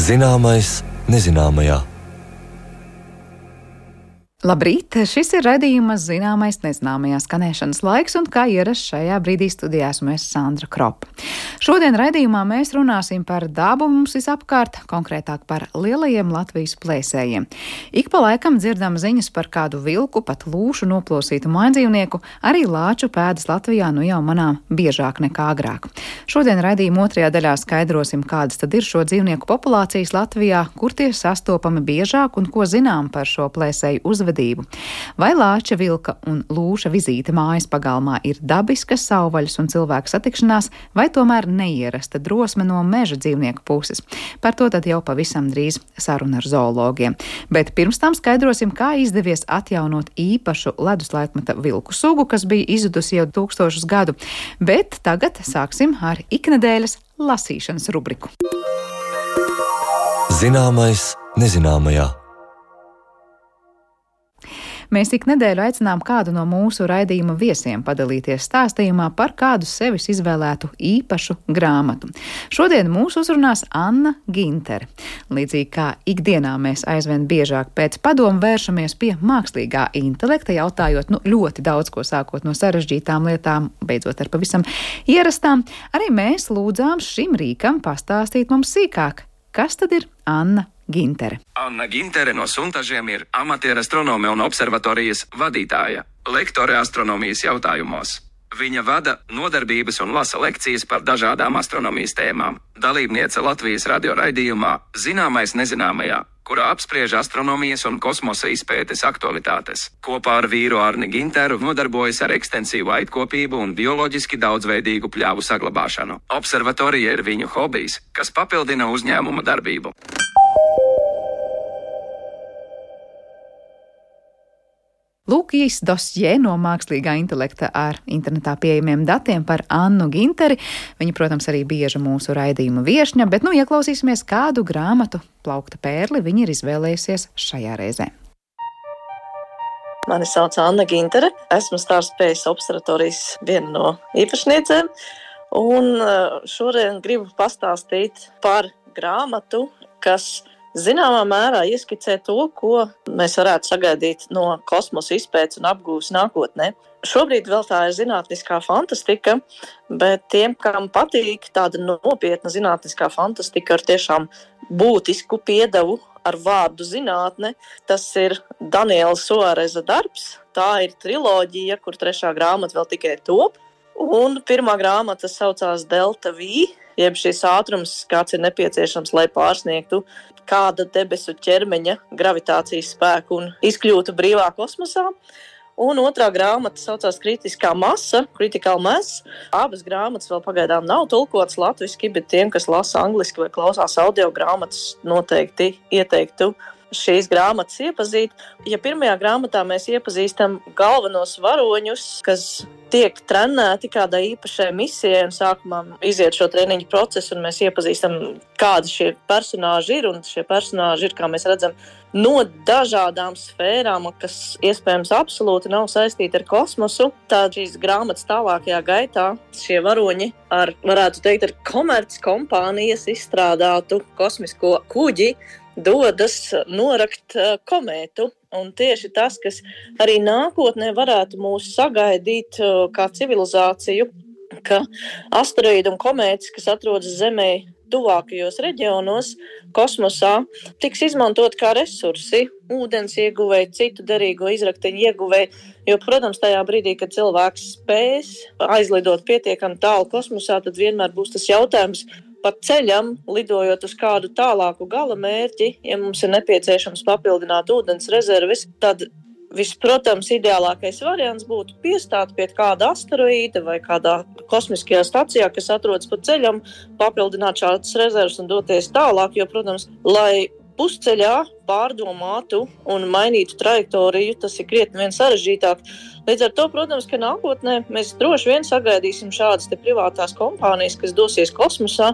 Zināmais nezināmajā. Labrīt! Šis ir raidījums Zināmais nezināmajā skanēšanas laiks, un kā ierasts šajā brīdī studijā esmu es Sandra Kropa. Šodien raidījumā mēs runāsim par dabu mums visapkārt, konkrētāk par lielajiem Latvijas plēsējiem. Ik pa laikam dzirdam ziņas par kādu vilku, pat lūšu noplosītu mājdzīvnieku, arī lāču pēdas Latvijā nu jau manām biežāk nekā agrāk. Šodien raidījuma otrajā daļā skaidrosim, kādas tad ir šo dzīvnieku populācijas Latvijā, kur tie sastopami biežāk un ko zinām par šo plēsēju uzvedību. Vai lāča, vilka un lūša vizīte mājas pagalmā ir dabiska savvaļas un cilvēku satikšanās, vai tomēr neierasta drosme no meža dzīvnieku puses? Par to tad jau pavisam drīz saruna ar zoologiem. Bet pirms tam skaidrosim, kā izdevies atjaunot īpašu leduslaikmeta vilku sugu, kas bija izzudusi jau 1000 gadu. Bet tagad sāksim ar iknedēļas lasīšanas rubriku. Zināmais nezināmajā. Mēs ik nedēļu aicinām kādu no mūsu raidījuma viesiem padalīties stāstījumā par kādu sevis izvēlētu īpašu grāmatu. Šodien mūs uzrunās Anna Gintere. Līdzīgi kā ikdienā mēs aizvien biežāk pēc padomu vēršamies pie mākslīgā intelekta, jautājot ļoti daudz ko, sākot no sarežģītām lietām, beidzot ar pavisam ierastām, arī mēs lūdzām šim rīkam pastāstīt mums sīkāk, kas tad ir Anna Gintere. Anna Gintere no Suntažiem ir amatieru astronome un observatorijas vadītāja, lektore astronomijas jautājumos. Viņa vada nodarbības un lasa lekcijas par dažādām astronomijas tēmām. Dalībniece Latvijas radio raidījumā Zināmais nezināmajā, kurā apspriež astronomijas un kosmosa izpētes aktualitātes. Kopā ar vīru Arni Ginteru nodarbojas ar ekstensīvu aitkopību un bioloģiski daudzveidīgu pļāvu saglabāšanu. Observatorija ir viņu hobijs, kas papildina uzņēmuma darbību. Lūk, īs dosjē no mākslīgā intelekta ar internetā pieejamiem datiem par Annu Ginteri. Viņa, protams, arī bieža mūsu raidījuma viešņa, bet ieklausīsimies, kādu grāmatu Plaukta pērli viņa ir izvēlējusies šajā reizē. Mani sauc Anna Gintere, esmu Starspējas observatorijas viena no īpašniecēm, un šodien gribu pastāstīt par grāmatu, kas zināmā mērā ieskicē to, ko mēs varētu sagaidīt no kosmosa izpētes un apgūves nākotnē. Šobrīd vēl tā ir zinātniskā fantastika, bet tiem, kam patīk tāda nopietna zinātniskā fantastika ar tiešām būtisku piedevu ar vārdu zinātne, tas ir Daniela Suareza darbs. Tā ir triloģija, kur 3. grāmata vēl tikai top. Un 1. grāmata saucās Delta V, jeb šis ātrums, kāds ir nepieciešams, lai pārsniegtu kāda debesu ķermeņa gravitācijas spēku un izkļūtu brīvā kosmosā. Un 2. grāmata saucās Kritiskā masa, Critical Mass. Abas grāmatas vēl pagaidām nav tulkotas latviski, bet tiem, kas lasa angliski vai klausās audio grāmatas, noteikti ieteiktu šīs grāmatas iepazīt. Ja 1. grāmatā mēs iepazīstam galvenos varoņus, kas tiek trenēti kādai īpašai misijai, un sākumā iziet šo treniņu procesu, un mēs iepazīstam, kādi šie personāži ir, un šie personāži ir, kā mēs redzam, no dažādām sfērām, kas iespējams absolūti nav saistīti ar kosmosu. Tad šīs grāmatas tālākajā gaitā šie varoņi varētu teikt, ar komerckompānijas izstrādātu kosmisko kuģi dodas norakt komētu. Un tieši tas, kas arī nākotnē varētu mūs sagaidīt kā civilizāciju, ka asteroīdi un komētas, kas atrodas Zemē tuvākajos reģionos, kosmosā, tiks izmantot kā resursi, ūdens ieguvēji, citu derīgo izrakteņu ieguvēji. Jo, protams, tajā brīdī, kad cilvēks spēs aizlidot pietiekami tālu kosmosā, tad vienmēr būs tas jautājums par ceļam, lidojot uz kādu tālāku gala mērķi. Ja mums ir nepieciešams papildināt ūdens rezerves, tad protams, ideālākais variants būtu piestāt pie kāda asteroīda vai kādā kosmiskajā stacijā, kas atrodas pa ceļam, papildināt šādas rezerves un doties tālāk, jo, protams, lai pusceļā pārdomātu un mainītu trajektoriju, tas ir krietni vien sarežģītāk. Līdz ar to, protams, ka nākotnē mēs droši vien sagaidīsim šādas privātās kompānijas, kas dosies kosmosā,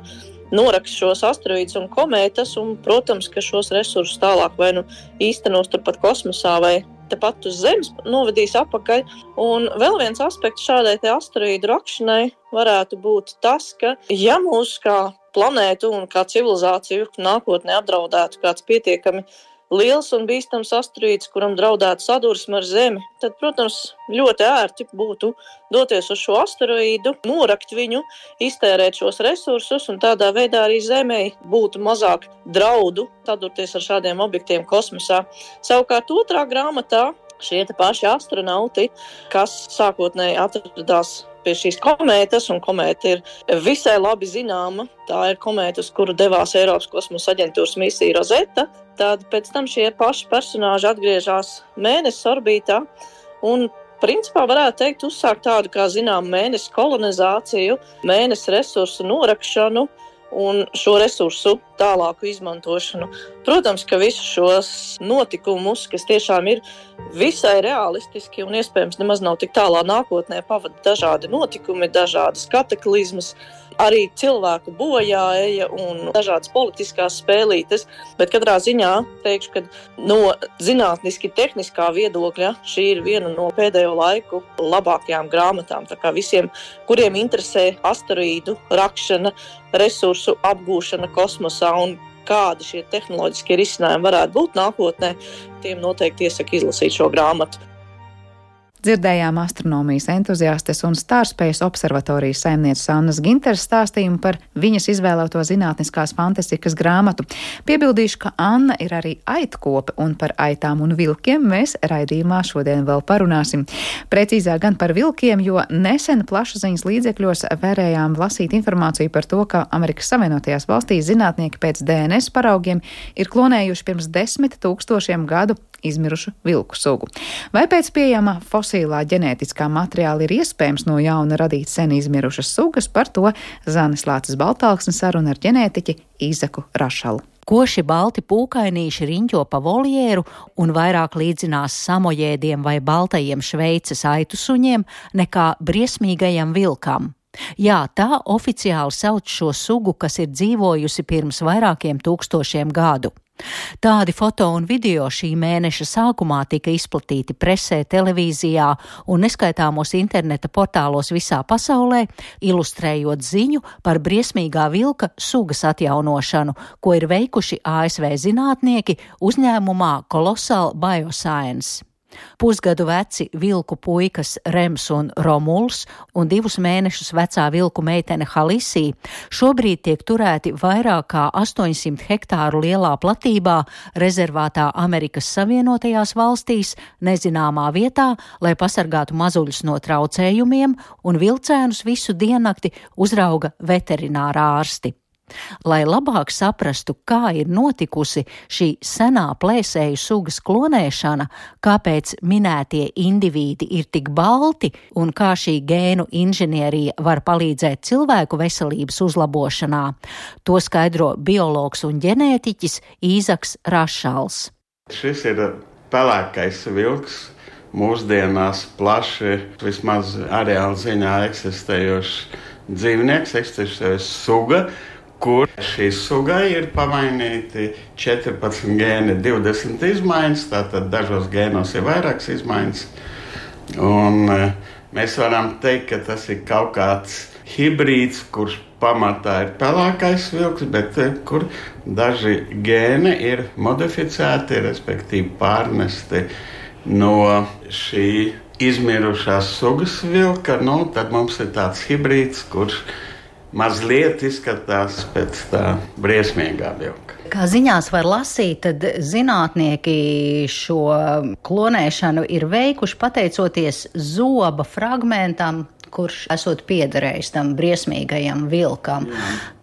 noraks šos asteroīdus un komētas, un, protams, ka šos resursus tālāk vai īstenos turpat kosmosā vai tepat uz Zemes novedīs apakaļ. Un vēl viens aspekts šādai asteroīdu rakšanai varētu būt tas, ka ja mūs kā planētu un kā civilizāciju nākotnē apdraudētu kāds pietiekami liels un bīstams asteroīds, kuram draudētu sadursme ar Zemi, tad, protams, ļoti ērti būtu doties uz šo asteroīdu, norakt viņu, iztērēt šos resursus un tādā veidā arī Zemei būtu mazāk draudu sadurties ar šādiem objektiem kosmosā. Savukārt otrā grāmatā šie paši astronauti, kas sākotnēji atradās pie šīs komētas, un komēta ir visai labi zināma. Tā ir komēta, uz kuru devās Eiropas kosmosa aģentūras misija Rosetta. Tad pēc tam šie paši personāži atgriežas Mēneses orbītā un principā varētu teikt uzsākt tādu, kā zinām, Mēneses kolonizāciju, Mēneses resursu norakšanu un šo resursu tālāku izmantošanu. Protams, ka visus šos notikumus, kas tiešām ir visai realistiski un iespējams nemaz nav tik tālā nākotnē, pavada dažādi notikumi, dažādas kataklizmas, arī cilvēku bojāeja un dažādas politiskās spēlītes, bet katrā ziņā teikšu, ka no zinātniski tehniskā viedokļa šī ir viena no pēdējo laiku labākajām grāmatām. Tā kā visiem, kuriem interesē asteroīdu rakšana, resursu apgūšana kosmosā un kādi šie tehnoloģiskie risinājumi varētu būt nākotnē, tiem noteikti iesaku izlasīt šo grāmatu. Dzirdējām astronomijas entuziastes un Stārspējas observatorijas saimnieces Annas Ginteres stāstījumu par viņas izvēlēto zinātniskās fantastikas grāmatu. Piebildīšu, ka Anna ir arī aitkope, un par aitām un vilkiem mēs raidījumā šodien vēl parunāsim. Precīzāk gan par vilkiem, jo nesen plašsaziņas līdzekļos varējām lasīt informāciju par to, ka Amerikas Savienotajās valstīs zinātnieki pēc DNS paraugiem ir klonējuši pirms 10 000 gadu izmirušu vilku sugu. Vai pēc pieejama fosilā ģenētiskā materiāla ir iespējams no jauna radīt sen izmirušas sugas, par to Zanes Lāces Baltāksne saruna ar ģenētiķi Īzaku Rašalu. Koši balti pūkainīši riņķo pa voljeru un vairāk līdzinās samojēdiem vai baltajiem Šveices aitu suņiem nekā briesmīgajam vilkam. Jā, tā oficiāli sauc šo sugu, kas ir dzīvojusi pirms vairākiem tūkstošiem gadu. Tādi foto un video šī mēneša sākumā tika izplatīti presē, televīzijā un neskaitāmos interneta portālos visā pasaulē, ilustrējot ziņu par briesmīgā vilka sugas atjaunošanu, ko ir veikuši ASV zinātnieki uzņēmumā Colossal Bioscience. Pusgadu veci vilku puikas Rems un Romuls un 2 mēnešus vecā vilku meitene Halisī šobrīd tiek turēti vairāk kā 800 hektāru lielā platībā rezervātā Amerikas Savienotajās valstīs, nezināmā vietā, lai pasargātu mazuļus no traucējumiem, un vilcēnus visu diennakti uzrauga veterinārā ārsti. Lai labāk saprastu, kā ir notikusi šī senā plēsēju sugas klonēšana, kāpēc minētie indivīdi ir tik balti un kā šī gēnu inženierija var palīdzēt cilvēku veselības uzlabošanā, to skaidro biologs un ģenētiķis Īzaks Rašals. Šis ir pelēkais vilks, mūsdienās plaši, vismaz areāla ziņā eksistējošs dzīvnieks, eksistējošs suga, kur šī sugai ir pamainīti 14 gēni, 20 izmaiņas, tātad dažos gēnos ir vairākas izmaiņas. Un mēs varam teikt, ka tas ir kaut kāds hibrīds, kurš pamatā ir pelēkais vilks, bet kur daži gēni ir modificēti, respektīvi pārnesti no šī izmirušās sugas vilka. Tad mums ir tāds hibrīds, kurš mazliet izskatās pēc tā briesmīgā vilka. Kā ziņās var lasīt, tad zinātnieki šo klonēšanu ir veikuši pateicoties zoba fragmentam, kurš esot piederējis tam briesmīgajam vilkam.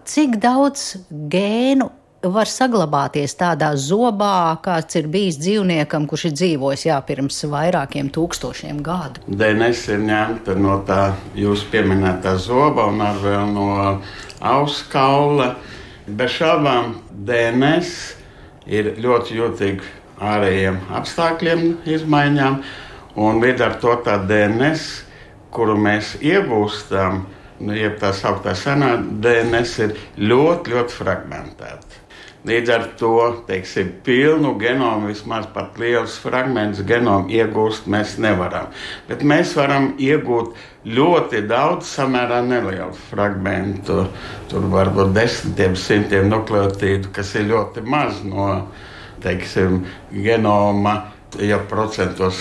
Cik daudz gēnu var saglabāties tādā zobā, kāds ir bijis dzīvniekam, kurš ir dzīvojis pirms vairākiem tūkstošiem gadu? DNS ir ņemta no tā jūs pieminētā zoba un ar vēl no auskaula. Bez šābām DNS ir ļoti jūtīgi ārējiem apstākļiem, izmaiņām, un līdz ar to tā DNS, kuru mēs iegūstam, jeb tā sauktā senā DNS, ir ļoti, ļoti fragmentēta. Līdz ar to, teiksim, pilnu genomu, vismaz pat lielus fragmentus genomu iegūst mēs nevaram. Bet mēs varam iegūt ļoti daudz samērā nelielu fragmentu. Tur var būt desmitiem, simtiem nukleotīdu, kas ir ļoti maz no, teiksim, genoma. Ja procentos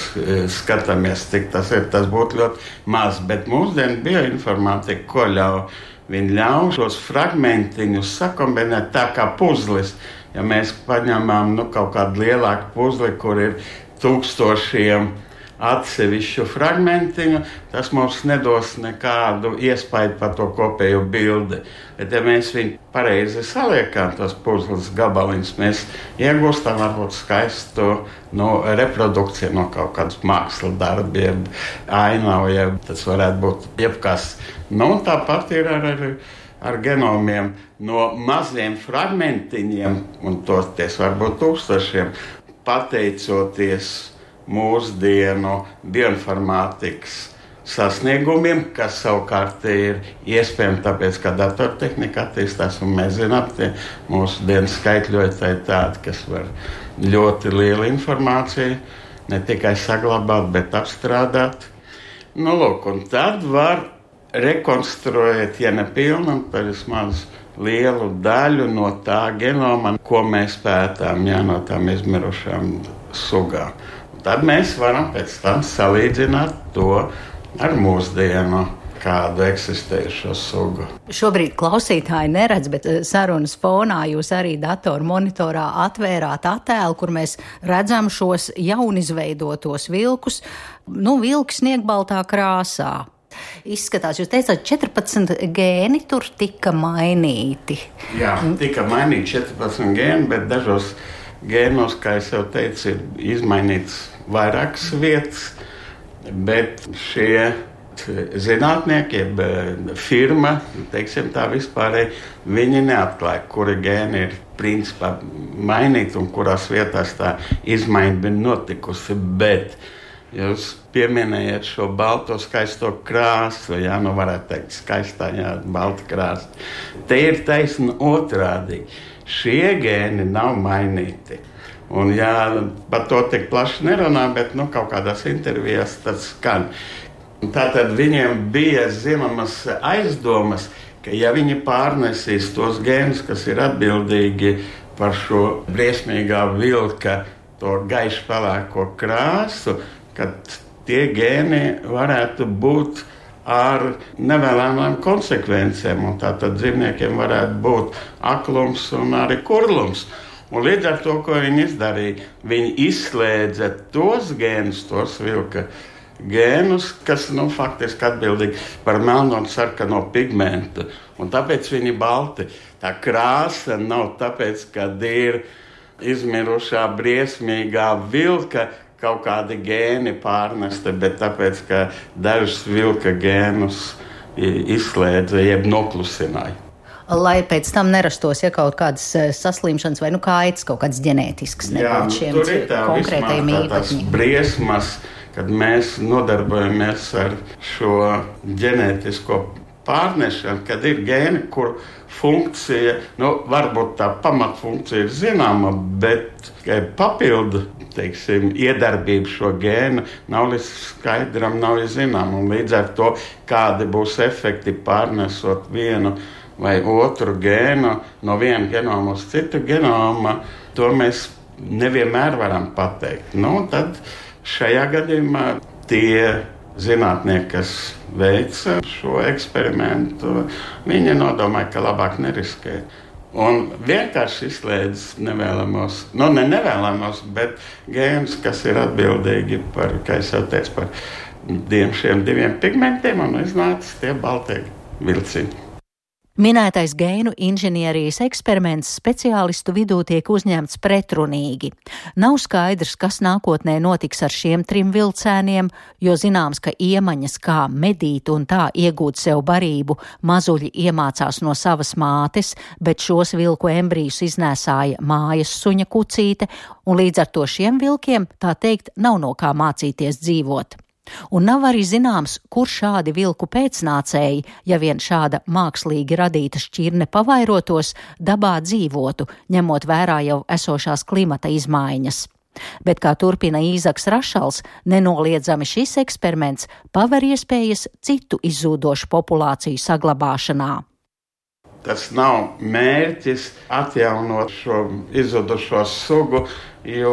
skatāmies, cik tas ir, tas būtu ļoti maz. Bet mūsdienu bioinformātika, ko ļauj? Viņi ļauj šos fragmentiņus sakombinēt tā kā puzlis. Ja mēs paņemam kaut kādu lielāku puzli, kur ir tūkstošiem atsevišķu fragmentiņu, tas mums nedos nekādu iespaidu par to kopējo bildi. Bet ja mēs viņu pareizi saliekam, tos puzles gabaliņus, mēs iegūstam varbūt skaistu reprodukciju no kaut kādas mākslas darbiem, ainaviem, tas varētu būt jebkas. Tāpat ir ar genomiem no maziem fragmentiņiem, un tos var būt tūkstošiem, pateicoties mūsdienu bioinformātikas sasniegumiem, kas savukārt ir iespējami tāpēc, ka datortehnika attīstās, un mēs zinām, ka mūsu dienas skaitļotāji tādi, kas var ļoti lielu informāciju ne tikai saglabāt, bet apstrādāt. Lūk, un tad var rekonstruēt, ja ne pilnu, tad vismaz lielu daļu no tā genoma, ko mēs pētām, no tām izmirušām sugām. Tad mēs varam pēc tam salīdzināt to ar mūsdienu kādu eksistējušo sugu. Šobrīd klausītāji neredz, bet sarunas fonā jūs arī datoru monitorā atvērāt attēlu, kur mēs redzam šos jaunizveidotos vilkus, vilki sniegbaltā krāsā. Izskatās, jūs teicāt, 14 gēni tur tika mainīti. Jā, tika mainīti 14 gēni, bet dažos gēnos, kā es jau teicu, ir izmainīts vairākas vietas, bet šie zinātnieki, firma, teiksim tā vispārēji, viņi neatklāja, kuri gēni ir principā mainīti un kurās vietās tā izmaiņa bija notikusi, bet jūs pieminējat šo balto skaisto krāsu, varētu teikt skaistā, balta krāsa. Te ir taisni otrādīgi. Šie gēni nav mainīti. Un par to tik plaši nerunā, bet kaut kādās intervijās tas skan. Tātad viņiem bija zināmas aizdomas, ka ja viņi pārnesīs tos gēnus, kas ir atbildīgi par šo briesmīgā vilka, to gaišu pelēko krāsu, kad tie gēni varētu būt ar nevēlamām konsekvencēm. Un tātad dzīvniekiem varētu būt aklums un arī kurlums. Un līdz ar to, ko viņi izdarīja, viņi izslēdza tos gēnus, tos vilka gēnus, kas faktiski atbildīgi par melno un sarkano pigmentu. Un tāpēc viņi balti. Tā krāsa nav tāpēc, kad ir izmirušā briesmīgā vilka kaut kādi gēni pārnesti, bet tāpēc, ka dažus vilka gēnus izslēdza, jeb noklusināja. Lai pēc tam nerastos kaut kādas saslimšanas vai kaitas, kaut kādas ģenētiskas nebūtu šiem konkrētajiem īpašiem. Tas briesmas, kad mēs nodarbojamies ar šo ģenētisko pārnešanu, kad ir gēni, kur funkcija, varbūt tā pamatfunkcija ir zināma, bet papildu, iedarbība šo gēnu nav līdz skaidram, nav zināma. Un līdz ar to, kādi būs efekti pārnesot vienu vai otru gēnu no viena genoma uz citu genoma, to mēs nevienmēr varam pateikt. Tad šajā gadījumā tie zinātnieki, kas veica šo eksperimentu, viņi nodomāja, ka labāk neriskēt. Un vienkārši izslēdz nevēlamos, ne nevēlamos, bet gēnus, kas ir atbildīgi par, kā es jau teicu, par šiem diviem pigmentiem, un iznāca tie baltie vilciņi. Minētais gēnu inženierijas eksperiments speciālistu vidū tiek uzņemts pretrunīgi. Nav skaidrs, kas nākotnē notiks ar šiem 3 vilcēniem, jo zināms, ka iemaņas kā medīt un tā iegūt sev barību mazuļi iemācās no savas mātes, bet šos vilku embrijus iznēsāja mājas suņa kucīte, un līdz ar to šiem vilkiem, tā teikt, nav no kā mācīties dzīvot. Un nav arī zināms, kur šādi vilku pēcnācēji, ja vien šāda mākslīgi radīta šķirne pavairotos, dabā dzīvotu, ņemot vērā jau esošās klimata izmaiņas. Bet, kā turpina Īzaks Rašals, nenoliedzami šis eksperiments paver iespējas citu izzūdošu populāciju saglabāšanā. Tas nav mērķis atjaunot šo izzudušo sugu, jo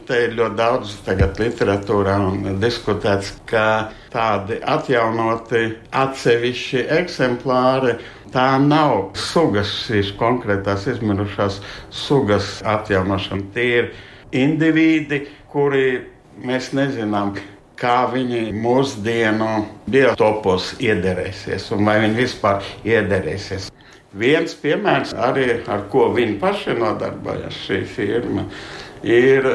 te ir ļoti daudz tagad literatūrā un diskutēts, ka tādi atjaunoti atsevišķi eksemplāri, tā nav sugas, šīs konkrētās izmirušās sugas atjaunošana. Tie ir indivīdi, kuri mēs nezinām, kā viņi mūsdienu biotopos iederēsies un vai viņi vispār iederēsies. Viens piemērs arī, ar ko viņi paši nodarbojas, šī firma, ir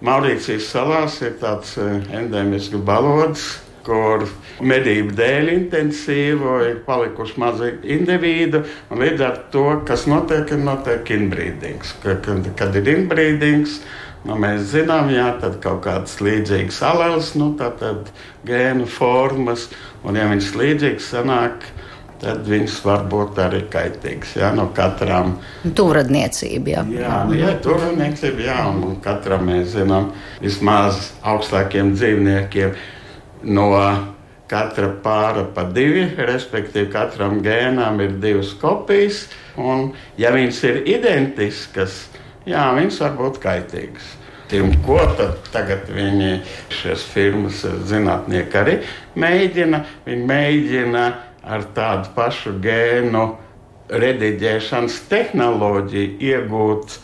Maurīcijas salās ir tāds endēmisks balodis, kur medību dēļ intensīvo ir palikuši mazi indivīdi, un līdz ar to, kas notiek inbrīdings. Kad ir inbrīdings, mēs zinām, tad kaut kādas līdzīgas aleles, tātad gēnu formas, un ja viņas līdzīgas sanāk, tad viņas var būt arī kaitīgas, no katrām. Tuvradniecība, tuvradniecība, un katram mēs zinām vismaz augstākiem dzīvniekiem no katra pāra pa 2, respektīvi katram gēnām ir 2 kopijas, un ja viņas ir identiskas, viņas var būt kaitīgas. Un ko tad tagad viņi, šīs firmas zinātnieki arī mēģina? Viņi mēģina ar tādu pašu gēnu rediģēšanas tehnoloģiju iegūt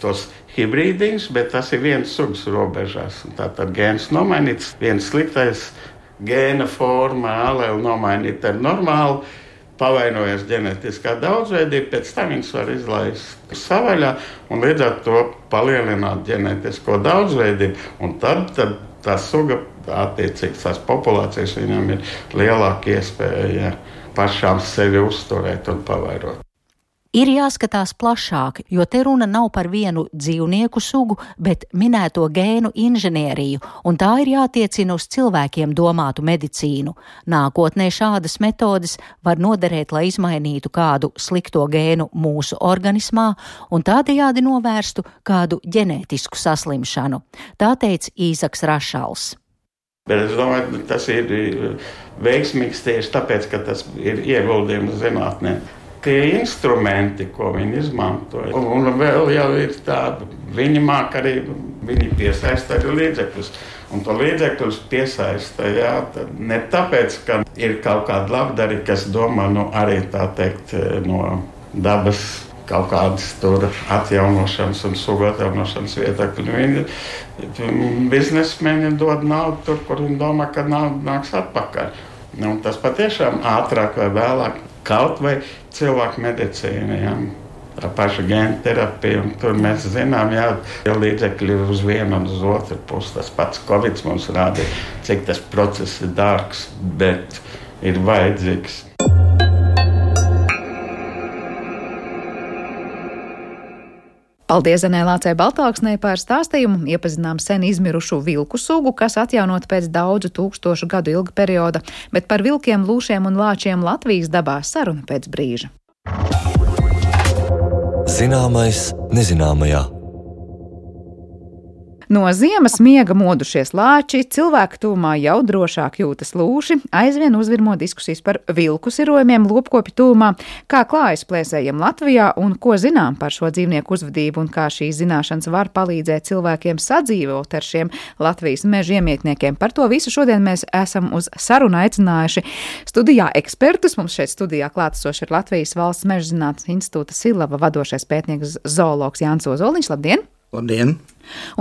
tos hibrīdiņus, bet tas ir viens sugas robežās. Tātad gēns nomainīts, viens sliktais gēna forma, aleli nomainīt ar normālu, pavainojas ģenetiskā daudzveidība, pēc tam viņas var izlaist savaļā un līdz ar to palielināt ģenetisko daudzveidību. Un tad tā suga, attiecīgi tās populācijas, viņam ir lielāka iespēja pašām sevi uzturēt un pavairot. Ir jāskatās plašāk, jo te runa nav par vienu dzīvnieku sugu, bet minēto gēnu inženieriju, un tā ir jātiecina uz cilvēkiem domātu medicīnu. Nākotnē šādas metodes var noderēt, lai izmainītu kādu slikto gēnu mūsu organismā un tādējādi novērstu kādu ģenētisku saslimšanu. Tā teica Īzaks Rašals. Bet es domāju, tas ir veiksmīgs tieši tāpēc, ka tas ir ieguldījums zinātnē. Tie instrumenti, ko viņi izmantoja, un vēl jau ir tāda, viņi māk arī, viņi piesaista arī līdzekļus. Un to līdzekļus piesaista, ne tāpēc, ka ir kaut kāda labdari, kas domā, arī tā teikt, no dabas kaut kādas tur atjaunošanas un sugu atjaunošanas vietakļi. Biznesmeņi dod naudu tur, kur viņi domā, ka nauda nāks atpakaļ. Un tas patiešām ātrāk vai vēlāk kaut vai cilvēku medicīna, tā paša gēna terapija, un tur mēs zinām, ja līdzekļi uz vienu un uz otru pusi. Tas pats Covid mums rāda, cik tas process ir dārgs, bet ir vajadzīgs. Paldies Zanē Lācei Baltāksnei par stāstījumu. Iepazinām sen izmirušu vilku sugu, kas atjaunot pēc daudzu tūkstošu gadu ilga perioda, bet par vilkiem, lūšiem un lāčiem Latvijas dabā saruna pēc brīža. Zināmais nezināmajā. No ziemas miega modušies lāči, cilvēku tūmā jau drošāk jūtas lūši, aizvien uzvirmo diskusijas par vilku sirojumiem lopkopju tūmā, kā klājas plēsējiem Latvijā un ko zinām par šo dzīvnieku uzvedību un kā šīs zināšanas var palīdzēt cilvēkiem sadzīvot ar šiem Latvijas meža iemītniekiem. Par to visu šodien mēs esam uz sarunu aicinājuši studijā ekspertus. Mums šeit studijā klātesoši ir Latvijas Valsts meža zinātnes institūta Silava vadošais pētnieks zoologs Jānis Ozoliņš. Labdien! Labdien!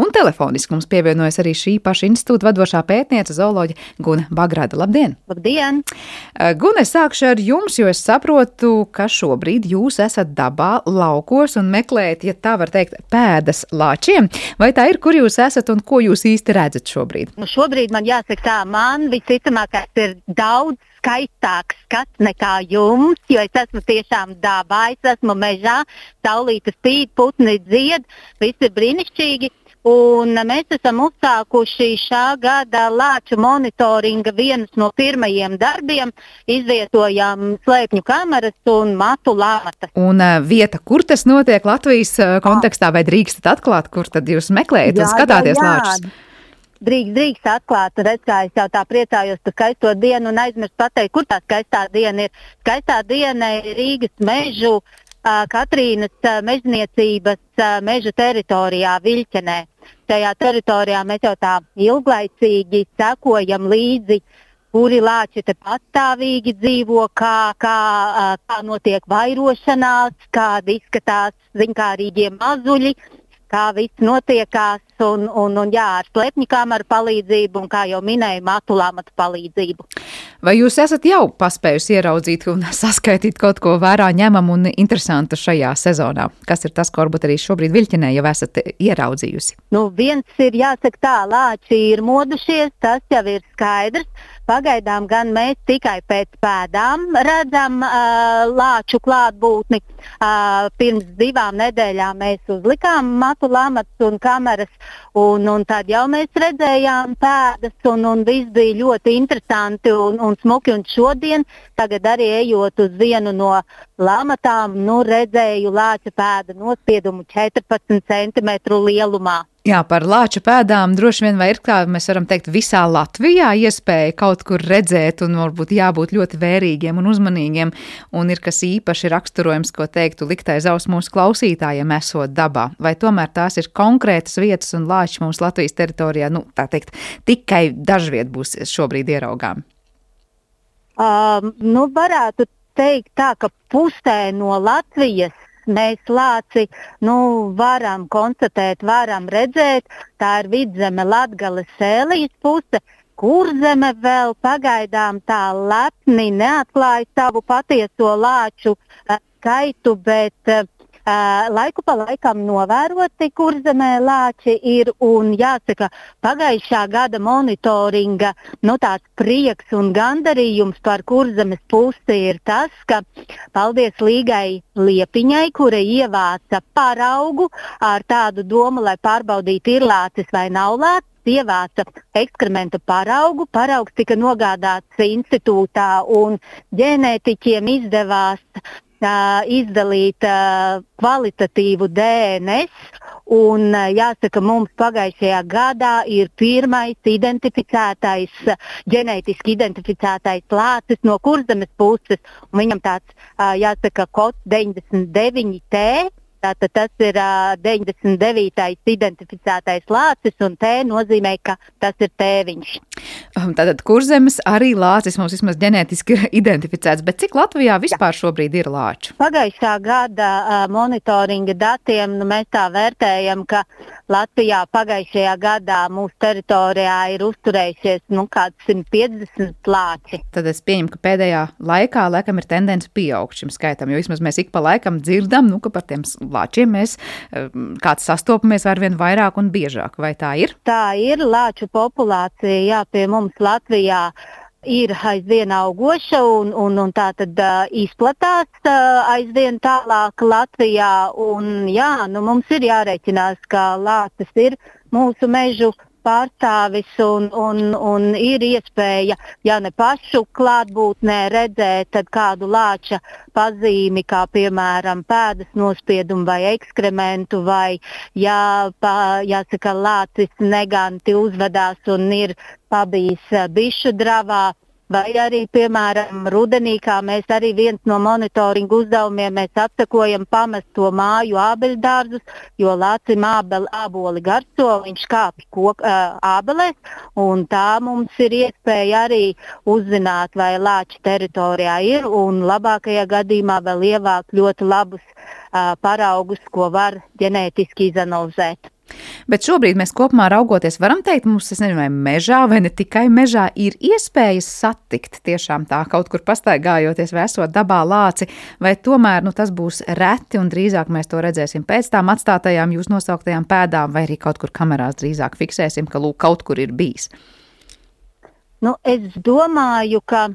Un telefoniski mums pievienojas arī šī paša institūta vadošā pētniece zooloģe Gune Bagrada. Labdien! Labdien! Gune, sākšu ar jums, jo es saprotu, ka šobrīd jūs esat dabā, laukos un meklējat, ja tā var teikt, pēdas lāčiem. Vai tā ir, kur jūs esat un ko jūs īsti redzat šobrīd? Šobrīd man jāsaka tā, man visticamākais ir daudz skaistāks skats nekā jums, jo es esmu tiešām dabā, es esmu mežā, saulīte spīd, putni dzied, viss ir brīnišķīgi. Un mēs esam uzsākuši šā gada lāču monitoringa vienus no pirmajiem darbiem. Izvietojām slēpņu kameras un matu lāmatas. Un vieta, kur tas notiek Latvijas kontekstā, vai drīkstat atklāt, kur tad jūs meklējat un skatāties lāčus? Drīkst atklāt, redz, kā es jau tā priecājos par skaisto dienu un aizmirst pateikt, kur tā skaistā diena ir. Skaistā diena ir Rīgas mežu, Katrīnas mežniecības meža teritorijā Viļķenē. Tajā teritorijā mēs jau tā ilglaicīgi sekojam līdzi, kuri lāči te pastāvīgi dzīvo, kā notiek vairošanās, kādi izskatās ziņkārīgie mazuļi, kā viss notiekās un ar slēpņu kameru palīdzību un, kā jau minēju, matu lāmatu palīdzību. Vai jūs esat jau paspējusi ieraudzīt un saskaitīt kaut ko vērā ņemamu un interesantu šajā sezonā? Kas ir tas, ko varbūt arī šobrīd Viļķenē jau esat ieraudzījusi? Viens ir jāsaka tā, lāči ir modušies, tas jau ir skaidrs. Pagaidām gan mēs tikai pēc pēdām redzam lāču klātbūtni. Pirms 2 nedēļām mēs uzlikām matu lāmatus un kameras, un tad jau mēs redzējām pēdas, un viss bija ļoti interesanti un smuki. Un šodien, tagad arī ejot uz vienu no lāmatām, redzēju lāča pēda nospiedumu 14 centimetru lielumā. Jā, par lāču pēdām droši vien vai ir, kā mēs varam teikt, visā Latvijā iespēja kaut kur redzēt un varbūt jābūt ļoti vērīgiem un uzmanīgiem, un ir kas īpaši raksturojums, ko teiktu likt aiz auss mūsu klausītājiem esot dabā, vai tomēr tās ir konkrētas vietas un lāči mums Latvijas teritorijā, tā teikt, tikai dažviet būs šobrīd ieraugām? Varētu teikt tā, ka pusē no Latvijas mēs lāci varam konstatēt, varam redzēt. Tā ir Vidzeme, Latgale, Sēlijas puse. Kurzeme vēl pagaidām tā lepni neatklāja savu patieso lāču skaitu, bet laiku pa laikam novēroti Kurzemē lāči ir, un jāsaka, pagājušā gada monitoringa tāds prieks un gandarījums par Kurzemes pusi ir tas, ka paldies Līgai Liepiņai, kura ievāca paraugu ar tādu domu, lai pārbaudītu, ir lācis vai nav lācis. Ievāca ekskrementu paraugu. Paraugs tika nogādāts institūtā, un ģenētiķiem izdevās izdalīt kvalitatīvu DNS, un jāsaka, mums pagājušajā gadā ir pirmais ģenētiski identificētais lācis no Kurzemes puses, un viņam tāds, jāsaka, kods 99T. Tātad tas ir 99. identificētais lācis, un T nozīmē, ka tas ir tēviņš. Tātad Kurzemes arī lācis mums vismaz ģenētiski ir identificēts, bet cik Latvijā vispār šobrīd ir lāču? Pagājušā gada monitoringa datiem mēs tā vērtējam, ka Latvijā pagājušajā gadā mūsu teritorijā ir uzturējušies kāds 150 lāči. Tad es pieņemu, ka pēdējā laikā laikam ir tendence pieaugt šim skaitam, jo vismaz mēs ik pa laikam dzirdam, ka par tiem lāčiem mēs kāds sastopamies arvien vairāk un biežāk. Vai tā ir? Tā ir. Lāču populācija, pie mums Latvijā ir aizvien augoša un tā tad izplatās aizvien tālāk Latvijā. Un mums ir jārēķinās, ka lācis ir mūsu mežu pārstāvis un ir iespēja, ja ne pašu klātbūtnē redzēt, tad kādu lāča pazīmi, kā piemēram pēdas nospiedumu vai ekskrementu, vai jāsaka, lācis neganti uzvedās un ir pabijis bišu dravā. Vai arī, piemēram, rudenī, kā mēs arī viens no monitoringa uzdevumiem, mēs apsekojam pamesto māju ābeļdārzus, jo lācim āboli garso, viņš kāpj ābelēs, un tā mums ir iespēja arī uzzināt, vai lāči teritorijā ir, un labākajā gadījumā vēl ievākt ļoti labus paraugus, ko var ģenētiski izanalizēt. Bet šobrīd mēs kopumā raugoties varam teikt, mums, es nezinu, vai mežā vai ne tikai mežā ir iespējas satikt tiešām tā kaut kur pastaigājoties vai esot dabā lāci, vai tomēr tas būs reti un drīzāk mēs to redzēsim pēc tām atstātajām jūs nosauktajām pēdām vai arī kaut kur kamerās drīzāk fiksēsim, ka kaut kur ir bijis? Es domāju, ka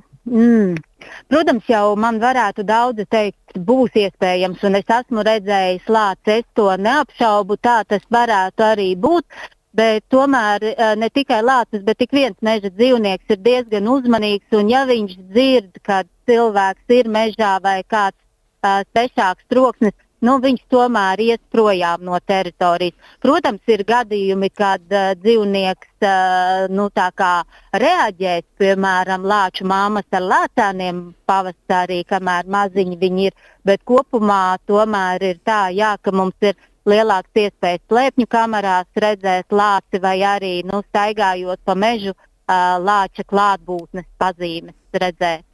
Protams, jau man varētu daudzi teikt, būs iespējams, un es esmu redzējis lāci, es to neapšaubu, tā tas varētu arī būt. Bet tomēr ne tikai lācis, bet ik viens meža dzīvnieks ir diezgan uzmanīgs, un ja viņš dzird, kad cilvēks ir mežā vai kāds svešāks troksnis, viņš tomēr ies projām no teritorijas. Protams, ir gadījumi, kad dzīvnieks tā kā reaģēs, piemēram, lāču māmas ar lācēniem pavasarī, kamēr maziņi viņi ir, bet kopumā tomēr ir tā, ka mums ir lielāks iespējas slēpņu kamerās redzēt lāci vai arī staigājot pa mežu lāča klātbūtnes pazīmes redzēt.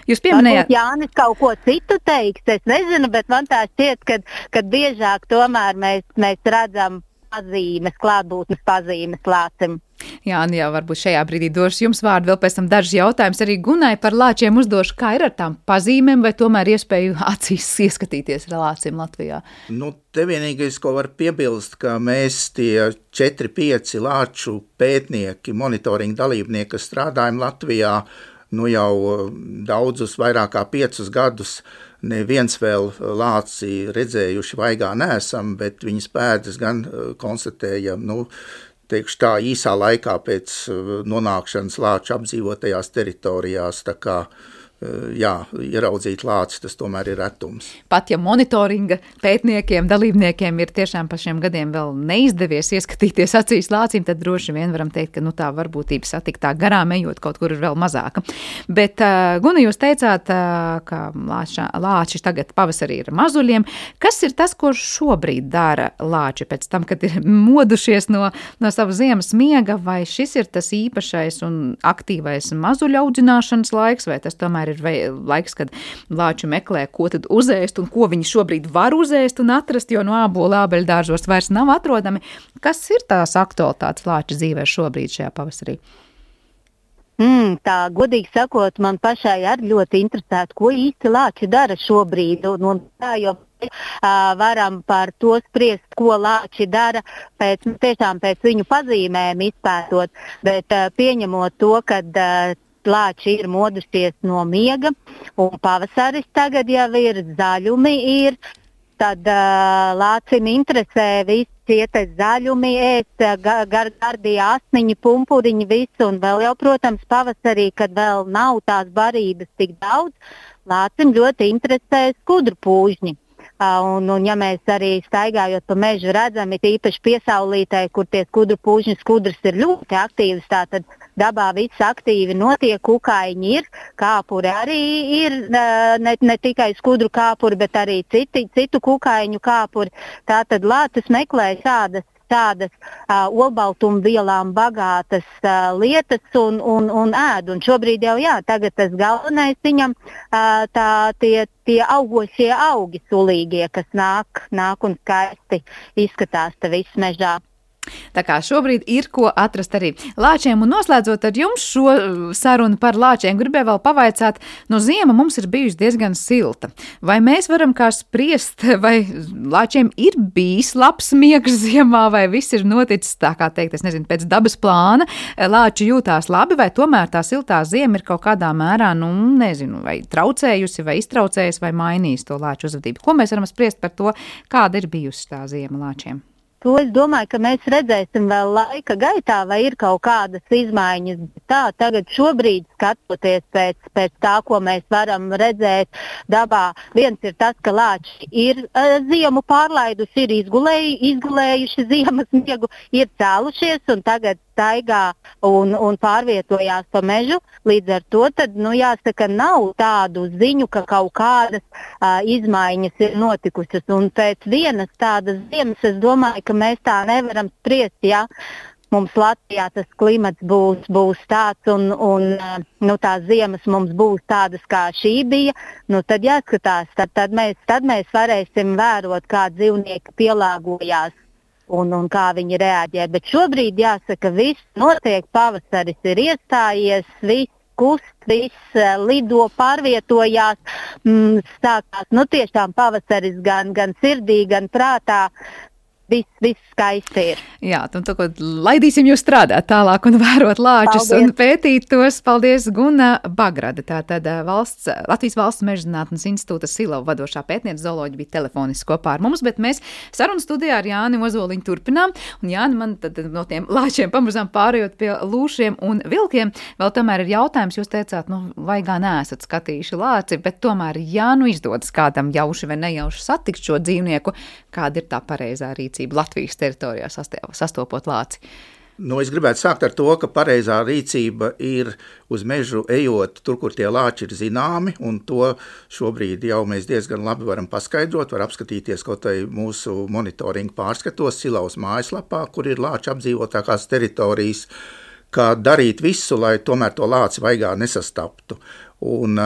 Jūs pieminējāt, varbūt Jānis kaut ko citu teiks, es nezinu, bet man tā šķiet, ka biežāk tomēr mēs redzam pazīmes, klātbūtnes pazīmes lācim. Jā, varbūt šajā brīdī došu jums vārdu, vēl pēc tam dažus jautājumus arī Gunai par lāčiem uzdošu. Kā ir ar tām pazīmēm vai tomēr iespēju acīs ieskatīties ar lāciem Latvijā? Te vienīgais, ko var piebilst, ka mēs tie 4-5 lāču pētnieki, monitoringa dalībnieki, kas strādājam Latvijā, jau daudzus, vairāk kā 5 gadus, neviens vēl lāci redzējuši vaigā neesam, bet viņas pēdas gan konstatējam, teikšu tā, īsā laikā pēc nonākšanas lāču apdzīvotajās teritorijās, tā kā, ieraudzīt lāci, tas tomēr ir retums. Pat ja monitoringa pētniekiem, dalībniekiem ir tiešām pa šiem gadiem vēl neizdevies ieskatīties acīs lācīm, tad droši vien varam teikt, ka tā varbūtība satikt tā garām ejot kaut kur ir vēl mazāka. Bet, Guna, jūs teicāt, ka lāči tagad pavasarī ir mazuļiem. Kas ir tas, ko šobrīd dara lāči pēc tam, kad ir modušies no sava ziemas miega, vai šis ir tas īpašais un aktīvais mazuļu audzināšanas laiks, vai tas tomēr ir laiks, kad lāči meklē, ko tad uzēst un ko viņi šobrīd var uzēst un atrast, jo no ābolu ābeļdārzos vairs nav atrodami. Kas ir tās aktualitātes lāča dzīvē šobrīd šajā pavasarī? Tā, godīgi sakot, man pašai arī ļoti interesētu, ko īsti lāči dara šobrīd. Un tā jau varam par to spriest, ko lāči dara tiešām pēc viņu pazīmēm izpētot, bet pieņemot to, kad lāči ir modušies no miega, un pavasaris tagad jau ir, zaļumi ir, tad lācim interesē visi šie zaļumi, gardie asniņi, pumpuriņi, visu, un vēl jau, protams, pavasarī, kad vēl nav tās barības tik daudz, lācim ļoti interesē skudru pūžņi. Un ja mēs arī staigājot pa mežu redzam, ir īpaši piesaulītē, kur tie skudru pūžņu skudras ir ļoti aktīvas, tātad dabā viss aktīvi notiek, kukaiņi ir, kāpuri arī ir, ne tikai skudru kāpuri, bet arī citu kukaiņu kāpuri. Tātad lācis meklē šādas olbaltumvielām bagātas lietas un ēd. Un šobrīd jau tagad tas galvenais viņam tie augošie augi sulīgie, kas nāk un skaisti izskatās te viss mežā. Tā kā šobrīd ir ko atrast arī lāčiem. Un noslēdzot ar jums šo sarunu par lāčiem, gribēju vēl pavaicāt, ziema mums ir bijusi diezgan silta. Vai mēs varam kā spriest, vai lāčiem ir bijis labs miegs ziemā, vai viss ir noticis, tā kā teikt, es nezinu, pēc dabas plāna, lāči jūtās labi, vai tomēr tā siltā ziema ir kaut kādā mērā, nezinu, vai traucējusi, vai iztraucējusi, vai mainījusi to lāču uzvedību. Ko mēs varam spriest par to, kāda ir bijusi tā ziema lāčiem? To es domāju, ka mēs redzēsim vēl laika gaitā, vai ir kaut kādas izmaiņas. Tā, tagad šobrīd skatoties pēc tā, ko mēs varam redzēt dabā, viens ir tas, ka lāči ir ziemu pārlaiduši, ir izgulējuši ziemas miegu, ir cēlušies un tagad staigā un pārvietojās pa mežu. Līdz ar to tad, jāsaka, nav tādu ziņu, ka kaut kādas izmaiņas ir notikušas. Un pēc vienas tādas ziemas, es domāju, ka mēs tā nevaram spriest, ja mums Latvijā tas klimats būs tāds un tās ziemas mums būs tādas, kā šī bija, tad jāskatās, tad mēs varēsim vērot, kā dzīvnieki pielāgojās un kā viņi reaģē. Bet šobrīd jāsaka, viss notiek, pavasaris ir iestājies, viss kust, viss lido, pārvietojās, sākās tiešām pavasaris gan sirdī, gan prātā. viss skaisti ir. Jā, un tagad laidīsim jūs strādāt tālāk un vērot lāčus un pētīt tos. Paldies, Guna Bagrada. Tātad Latvijas Valsts Mežzinātnes institūta Silava vadošā pētniece zooloģija bija telefoniski kopā ar mums, bet mēs sarunu studijā ar Jāni Ozoliņu turpinām. Un Jāni, man tad no tiem lāčiem pamazām pārējot pie lūšiem un vilkiem, vēl tomēr ir jautājums, jūs teicāt, vai gan neesat skatījuši lāci, bet tomēr, ja izdodas kādam jauši vai nejauši satikt šo dzīvnieku, kāda ir tā pareizā rīcība Latvijas teritorijā sastopot lāci? Es gribētu sākt ar to, ka pareizā rīcība ir uz mežu ejot tur, kur tie lāči ir zināmi, un to šobrīd jau mēs diezgan labi varam paskaidrot, var apskatīties kaut vai mūsu monitoringa pārskatos Silavas mājaslapā, kur ir lāči apdzīvotākās teritorijas, kā darīt visu, lai tomēr to lāci vaigā nesastaptu. Un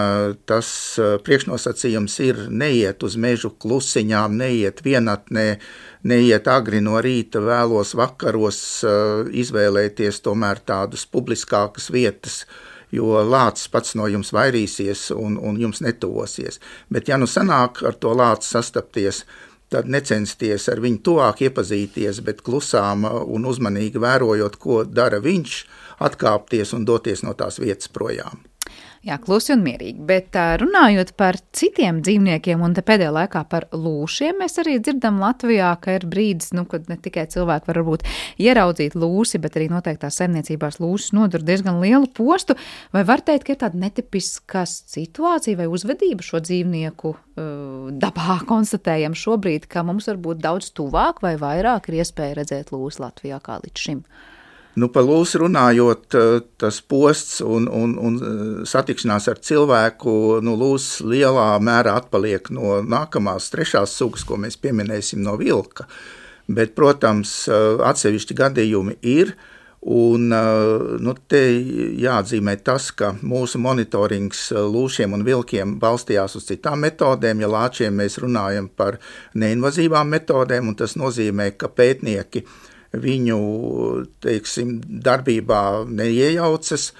tas priekšnosacījums ir neiet uz mežu klusiņām, neiet vienatnē, neiet agri no rīta, vēlos vakaros, izvēlēties tomēr tādas publiskākas vietas, jo lācis pats no jums vairīsies un jums netuvosies. Bet ja sanāk ar to lāci sastapties, tad necensties ar viņu tuvāk iepazīties, bet klusām un uzmanīgi vērojot, ko dara viņš, atkāpties un doties no tās vietas projām. Jā, klusi un mierīgi, bet runājot par citiem dzīvniekiem un te pēdējā laikā par lūšiem, mēs arī dzirdam Latvijā, ka ir brīdis, kad ne tikai cilvēki var varbūt ieraudzīt lūsi, bet arī noteiktās saimniecībās lūsis nodur diezgan lielu postu. Vai var teikt, ka ir tāda netipiska situācija vai uzvedība šo dzīvnieku dabā konstatējam šobrīd, ka mums varbūt daudz tuvāk vai vairāk ir iespēja redzēt lūsi Latvijā kā līdz šim? Par lūsi runājot, tas posts un satikšanās ar cilvēku, lūsis lielā mērā atpaliek no nākamās trešās sugas, ko mēs pieminēsim no vilka. Bet, protams, atsevišķi gadījumi ir, un te jāatzīmē tas, ka mūsu monitorings lūšiem un vilkiem balstījās uz citām metodēm. Ja lāčiem mēs runājam par neinvazīvām metodēm, un tas nozīmē, ka pētnieki viņu, darbībā neiejaucas.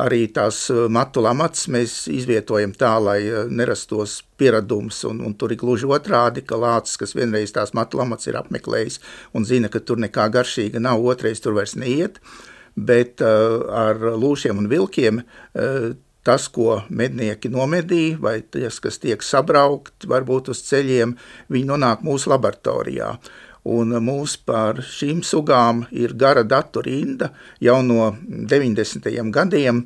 Arī tās matu lamats mēs izvietojam tā, lai nerastos pieradums, un tur ir gluži otrādi, ka lācis, kas vienreiz tās matu lamats ir apmeklējis un zina, ka tur nekā garšīga nav, otrais tur vairs neiet, bet ar lūšiem un vilkiem tas, ko mednieki nomedīja, vai tas, kas tiek sabraukt, varbūt uz ceļiem, viņi nonāk mūsu laboratorijā. Un mūs par šīm sugām ir gara datu rinda jau no 90. gadiem,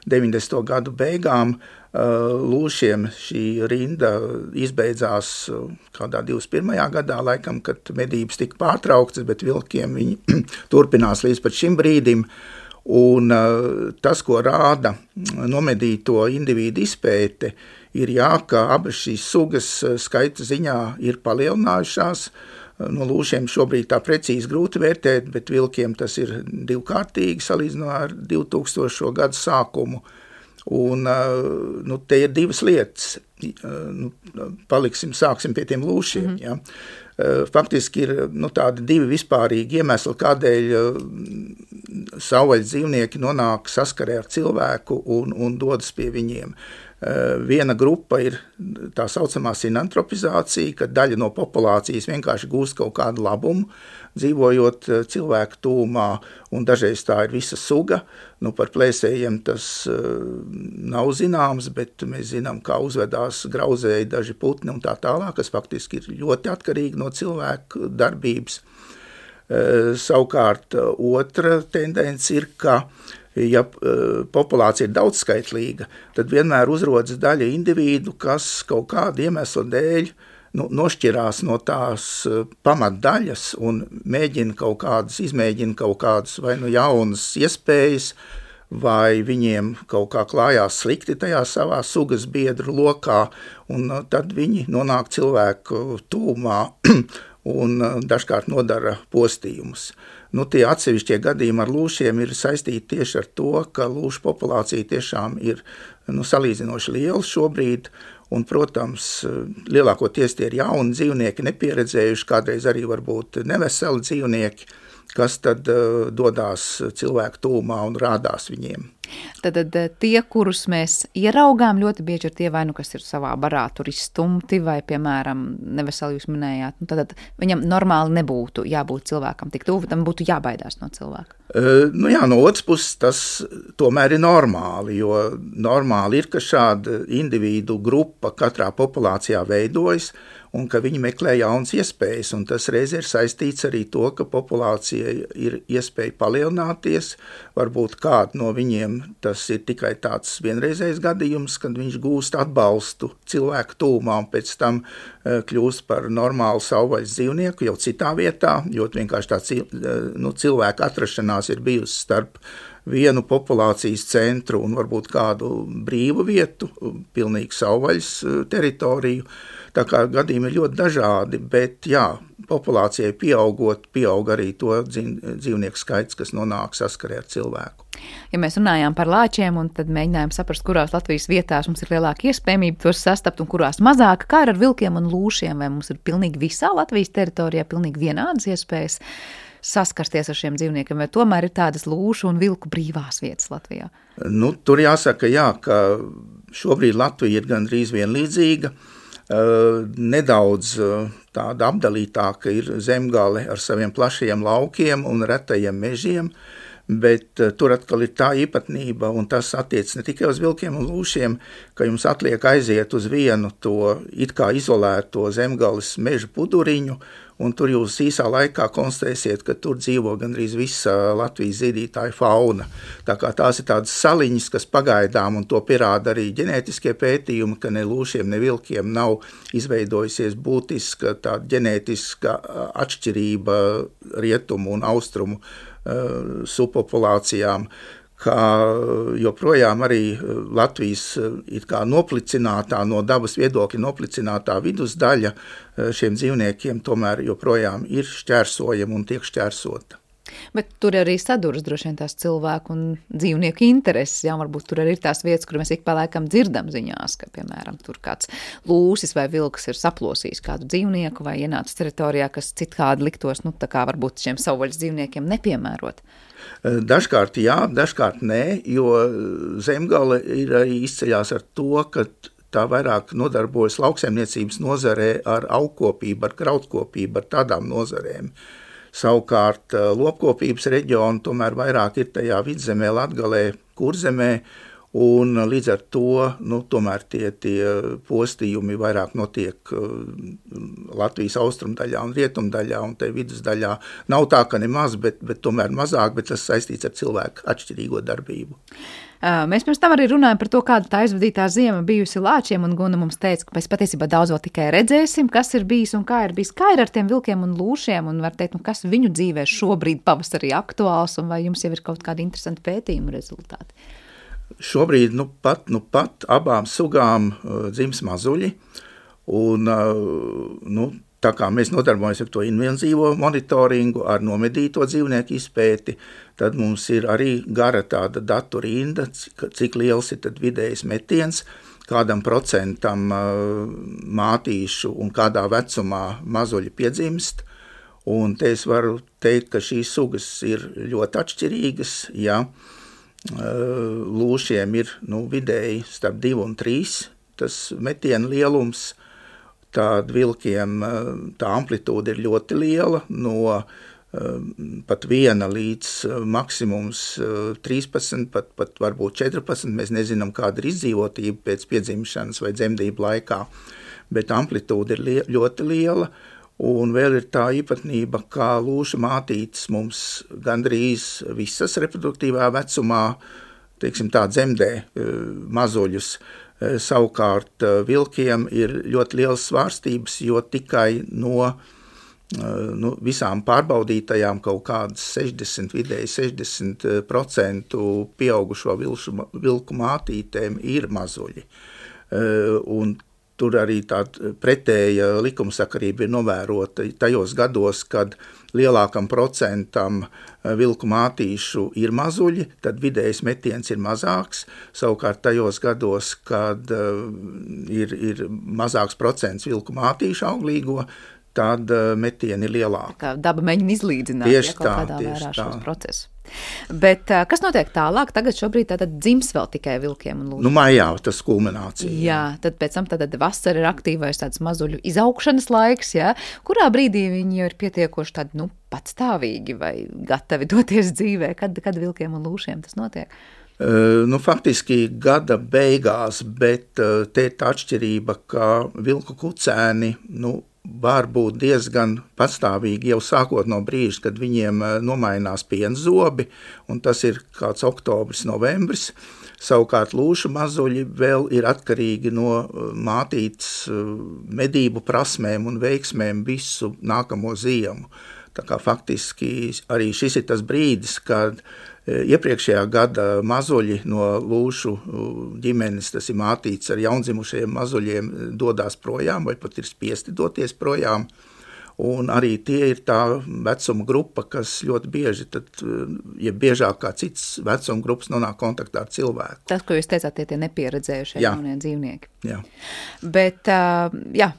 90. gadu beigām. Lūšiem šī rinda izbeidzās kādā 21. gadā, laikam, kad medības tika pārtrauktas, bet vilkiem viņi turpinās līdz pat šim brīdim. Un tas, ko rāda nomedīto individu izpēte, ir ka abas šīs sugas skaita ziņā ir palielinājušās. No lūšiem šobrīd tā precīzi grūti vērtēt, bet vilkiem tas ir divkārtīgi salīdzinot ar 2000. gadu sākumu. Un te ir divas lietas. Sāksim pie tiem lūšiem. Ja. Faktiski ir tādi divi vispārīgi iemesli, kādēļ savvaļas dzīvnieki nonāk saskarē ar cilvēku un dodas pie viņiem. Viena grupa ir tā saucamā sinantropizācija, kad daļa no populācijas vienkārši gūst kaut kādu labumu, dzīvojot cilvēku tūmā, un dažreiz tā ir visa suga. Par plēsējiem tas nav zināms, bet mēs zinām, kā uzvedās grauzēji daži putni un tā tālāk, kas faktiski ir ļoti atkarīgi no cilvēku darbības. Savukārt otra tendence ir, ka ja populācija ir daudzskaitlīga, tad vienmēr uzrodas daļa individu, kas kaut kādu iemeslu dēļ nošķirās no tās pamatdaļas un izmēģina kaut kādas vai jaunas iespējas, vai viņiem kaut kā klājās slikti tajā savā sugas biedru lokā, un tad viņi nonāk cilvēku tūmā un dažkārt nodara postījumus. Tie atsevišķie gadījumi ar lūšiem ir saistīti tieši ar to, ka lūšu populācija tiešām ir salīdzinoši liela šobrīd, un, protams, lielākoties tie ir jauni dzīvnieki, nepieredzējuši, kādreiz arī varbūt neveseli dzīvnieki, kas tad dodās cilvēku tūmā un rādās viņiem. Tad tie, kurus mēs ieraugām, ļoti bieži ir tie vai kas ir savā barā tur izstumti, vai, piemēram, neveseli jūs minējāt, tad viņam normāli nebūtu jābūt cilvēkam tik tuvu, tam būtu jābaidās no cilvēka. No otras puses tas tomēr ir normāli, jo normāli ir, ka šāda individu grupa katrā populācijā veidojas, un ka viņi meklē jaunas iespējas, un tas reiz ir saistīts arī to, ka populācija ir iespēja palielināties, varbūt kādu no viņiem tas ir tikai tāds vienreizējs gadījums, kad viņš gūst atbalstu cilvēku tūmā, un pēc tam kļūst par normālu savvaļas dzīvnieku jau citā vietā, jo vienkārši tā cilvēka atrašanās ir bijusi starp vienu populācijas centru un varbūt kādu brīvu vietu, pilnīgi savvaļas teritoriju. Tā kā gadījumi ir ļoti dažādi, bet populācijai pieaugot, pieaug arī to dzīvnieku skaits, kas nonāk saskarē ar cilvēku. Ja mēs runājām par lāčiem un tad mēģinājām saprast, kurās Latvijas vietās mums ir lielāka iespējamība tos sastapt un kurās mazāka, kā ir ar vilkiem un lūšiem, vai mums ir pilnīgi visā Latvijas teritorijā pilnīgi vienādas iespējas saskarsties ar šiem dzīvniekiem, vai tomēr ir tādas lūšu un vilku brīvās vietas Latvijā? Tur jāsaka, ka šobrīd Latvija ir gandrīz vienlīdzīga. Nedaudz tāda apdalītāka ir Zemgale ar saviem plašajiem laukiem un retajiem mežiem, bet tur atkal ir tā īpatnība, un tas attiec ne tikai uz vilkiem un lūšiem, ka jums atliek aiziet uz vienu to it kā izolēto Zemgales meža puduriņu, un tur jūs īsā laikā konstatēsiet, ka tur dzīvo gandrīz visa Latvijas zīdītāja fauna. Tā kā tās ir tādas saliņas, kas pagaidām, un to pierāda arī ģenētiskie pētījumi, ka ne lūšiem, ne vilkiem nav izveidojusies būtiska tāda ģenētiska atšķirība rietumu un austrumu subpopulācijām, kā joprojām arī Latvijas it kā noplicinātā, no dabas viedokļa noplicinātā vidusdaļa šiem dzīvniekiem tomēr joprojām ir šķērsojama un tiek šķērsota. Bet tur arī saduras droši vien tās cilvēku un dzīvnieku intereses, varbūt tur arī ir tās vietas, kur mēs ik pa laikam dzirdam ziņās, ka, piemēram, tur kāds lūsis vai vilks ir saplosījis kādu dzīvnieku vai ienācis teritorijā, kas citādi liktos, tā kā varbūt šiem savvaļas dzīvniekiem nepiemērot. Dažkārt jā, dažkārt nē, jo Zemgale ir arī izceļās ar to, ka tā vairāk nodarbojas lauksaimniecības nozarē ar augkopību, ar krautkopību, ar tādām nozarēm. Savukārt lopkopības reģionu tomēr vairāk ir tajā vidzemē, Latgalē, Kurzemē, un līdz ar to tomēr tie postījumi vairāk notiek Latvijas austrumdaļā un rietumdaļā, un te vidusdaļā nav tā, ka nemaz, bet tomēr mazāk, bet tas saistīts ar cilvēku atšķirīgo darbību. Mēs pirms tam arī runājam par to, kāda tā aizvadītā ziema bijusi lāčiem, un Guna mums teica, ka mēs patiesībā daudz vēl tikai redzēsim, kas ir bijis un kā ir bijis. Kā ir ar tiem vilkiem un lūšiem, un var teikt, kas viņu dzīvē šobrīd pavasarī aktuāls, un vai jums jau ir kaut kādi interesanti pētījumu rezultāti? Šobrīd pat abām sugām dzims mazuļi, un tā kā mēs nodarbojamies ar to invenzīvo monitoringu, ar nomedīto dzīvnieku izpēti, tad mums ir arī gara tāda datu rinda, cik liels ir tad vidējs metiens, kādam procentam mātīšu un kādā vecumā mazuļi piedzimst. Un te es varu teikt, ka šīs sugas ir ļoti atšķirīgas, lūšiem ir vidēji starp 2 un 3 tas metiena lielums, tad vilkiem tā amplitūda ir ļoti liela, no pat 1 līdz maksimums 13, pat varbūt 14, mēs nezinām, kāda ir izdzīvotība pēc piedzimšanas vai dzemdību laikā, bet amplitūda ir ļoti liela. Un vēl ir tā īpatnība, kā lūša mātītes mums gandrīz visas reproduktīvā vecumā, dzemdē mazuļus. Savukārt vilkiem ir ļoti liels svārstības, jo tikai no visām pārbaudītajām kaut kādas 60% pieaugušo vilku mātītēm ir mazuļi. Un tur arī tāda pretēja likumsakarība ir novērota tajos gados, kad lielākam procentam vilku mātīšu ir mazuļi, tad vidējais metiens ir mazāks. Savukārt tajos gados, kad ir mazāks procents vilku mātīšu auglīgo, tad metieni ir lielāki. Kā daba mēģina izlīdzināt, Tieši kaut kādā vērā šos procesus. Bet kas notiek tālāk? Tagad šobrīd tātad dzims vēl tikai vilkiem un lūšiem. Maijā tas kulminācija. Jā, tad pēc tam tad vasara ir aktīvais tāds mazuļu izaugšanas laiks, jā. Kurā brīdī viņi jau ir pietiekoši tādi, patstāvīgi vai gatavi doties dzīvē? Kad vilkiem un lūšiem tas notiek? Faktiski gada beigās, bet te ir tā atšķirība, ka vilku kucēni, var būt diezgan patstāvīgi jau sākot no brīža, kad viņiem nomainās pienzobi, un tas ir kāds oktobris, novembris. Savukārt lūšu mazuļi vēl ir atkarīgi no mātītes medību prasmēm un veiksmēm visu nākamo ziemu. Tā kā faktiski arī šis ir tas brīdis, kad iepriekšējā gada mazuļi no lūšu ģimenes, tas ir mātītes ar jaundzimušajiem mazuļiem, dodās projām vai pat ir spiesti doties projām. Un arī tie ir tā vecuma grupa, kas ļoti bieži, biežāk kā cits vecuma grupas nonāk kontaktā ar cilvēku. Tas, ko jūs teicāt, tie nepieredzējušie jaunie dzīvnieki. Jā. Bet,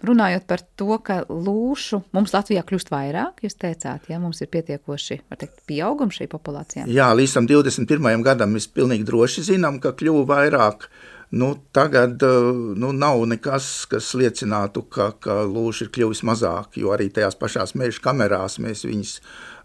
runājot par to, ka lūšu mums Latvijā kļūst vairāk, jūs teicāt, mums ir pietiekoši, var teikt, pieaugums šī populācijā? Jā, līdz tam 21. gadam mēs pilnīgi droši zinām, ka kļuva vairāk. Tagad nav nekas, kas liecinātu, ka lūši ir kļuvis mazāk, jo arī tajās pašās meža kamerās mēs viņus